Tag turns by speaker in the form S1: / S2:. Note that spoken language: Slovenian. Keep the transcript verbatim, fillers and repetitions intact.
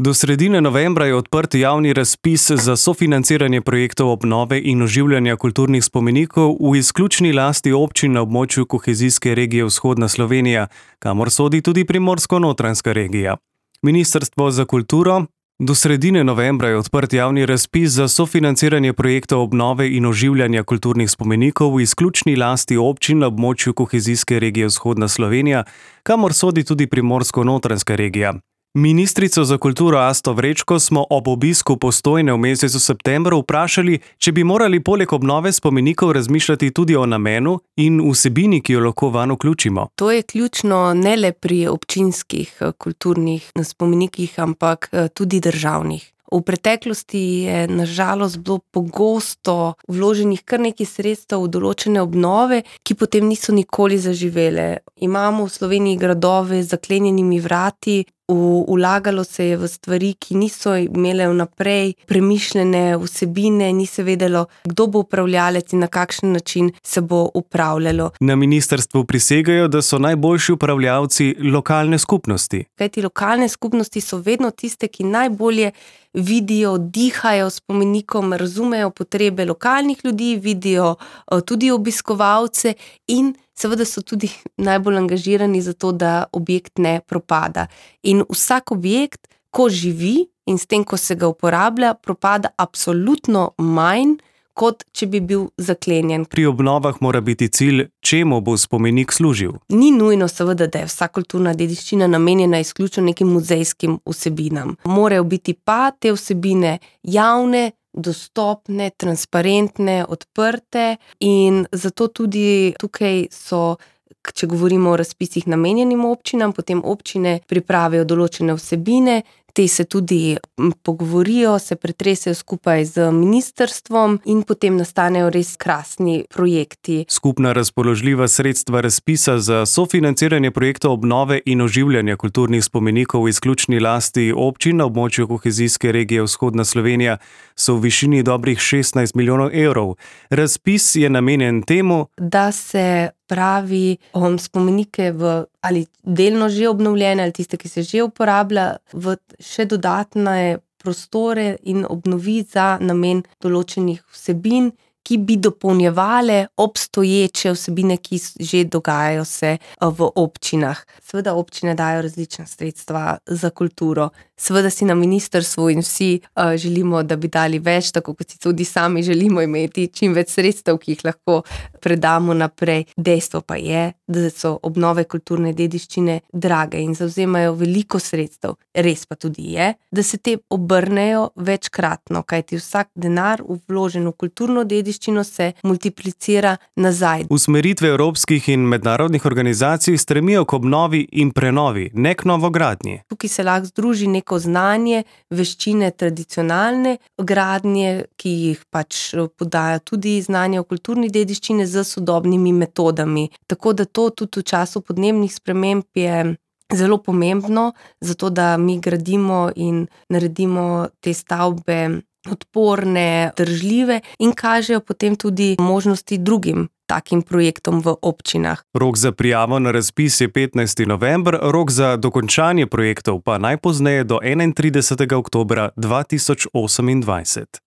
S1: Do sredine novembra je odprt javni razpis za sofinanciranje projektov obnove in oživljanja kulturnih spomenikov v izključni lasti občin na območju kohezijske regije Vzhodna Slovenija, kamor sodi tudi Primorsko-notranjska regija. Ministrstvo za kulturo. Do sredine novembra je odprt javni razpis za sofinanciranje projektov obnove in oživljanja kulturnih spomenikov v izključni lasti občin na območju kohezijske regije Vzhodna Slovenija, kamor sodi tudi Primorsko-notranjska regija. Ministrico za kulturo Asto Vrečko smo ob obisku Postojne v mesecu septembru vprašali, če bi morali poleg obnove spomenikov razmišljati tudi o namenu in vsebini, ki jo lahko vanj vključimo.
S2: To je ključno ne le pri občinskih kulturnih spomenikih, ampak tudi državnih. V preteklosti je na žalost bilo pogosto vloženih kar nekaj sredstev v določene obnove, ki potem niso nikoli zaživele. Imamo v Sloveniji gradove z zaklenjenimi vrati, vlagalo se je v stvari, ki niso imele vnaprej premišljene vsebine, ni se vedelo, kdo bo upravljalec in na kakšen način se bo upravljalo.
S1: Na ministrstvu prisegajo, da so najboljši upravljalci lokalne skupnosti.
S2: Kajti lokalne skupnosti so vedno tiste, ki najbolje vidijo, dihajo spomenikom, razumejo potrebe lokalnih ljudi, vidijo tudi obiskovalce in seveda so tudi najbolj angažirani za to, da objekt ne propada. In vsak objekt, ko živi in s tem, ko se ga uporablja, propada absolutno manj, kot če bi bil zaklenjen.
S1: Pri obnovah mora biti cilj, čemu bo spomenik služil.
S2: Ni nujno seveda, da je vsa kulturna dediščina namenjena izključno nekim muzejskim vsebinam. Morajo biti pa te vsebine javne, dostopne, transparentne, odprte in zato tudi tukaj so, če govorimo o razpisih namenjenim občinam, potem občine pripravijo določene vsebine, te se tudi pogovorijo, se pretresejo skupaj z ministrstvom in potem nastanejo res krasni projekti.
S1: Skupna razpoložljiva sredstva razpisa za sofinanciranje projektov obnove in oživljanja kulturnih spomenikov v izključni lasti občin na območju kohezijske regije Vzhodna Slovenija so v višini dobrih šestnajst milijonov evrov. Razpis je namenjen temu,
S2: da se pravi um, spomenike v ali delno že obnovljene ali tiste, ki se že uporablja, v še dodatne prostore in obnovi za namen določenih vsebin, ki bi dopolnjevale obstoječe vsebine, ki že dogajajo se v občinah. Seveda občine dajo različna sredstva za kulturo. Seveda si na ministrstvu in vsi uh, želimo, da bi dali več, tako kot si tudi sami želimo imeti čim več sredstev, ki jih lahko predamo naprej. Dejstvo pa je, da so obnove kulturne dediščine drage in zavzemajo veliko sredstev. Res pa tudi je, da se te obrnejo večkratno, kajti vsak denar vložen v kulturno dediščino se multiplicira nazaj.
S1: Usmeritve evropskih in mednarodnih organizacij stremijo k obnovi in prenovi, ne k novogradnji.
S2: Tukaj se lahko združi neko znanje, veščine tradicionalne gradnje, ki jih pač podaja tudi znanje o kulturni dediščini z sodobnimi metodami. Tako da to tudi v času podnebnih sprememb je zelo pomembno, zato da mi gradimo in naredimo te stavbe odporne, držljive in kažejo potem tudi možnosti drugim takim projektom v občinah.
S1: Rok za prijavo na razpis je petnajsti november, rok za dokončanje projektov pa najpozneje do enaintridesetega oktobra dva tisoč osemindvajset.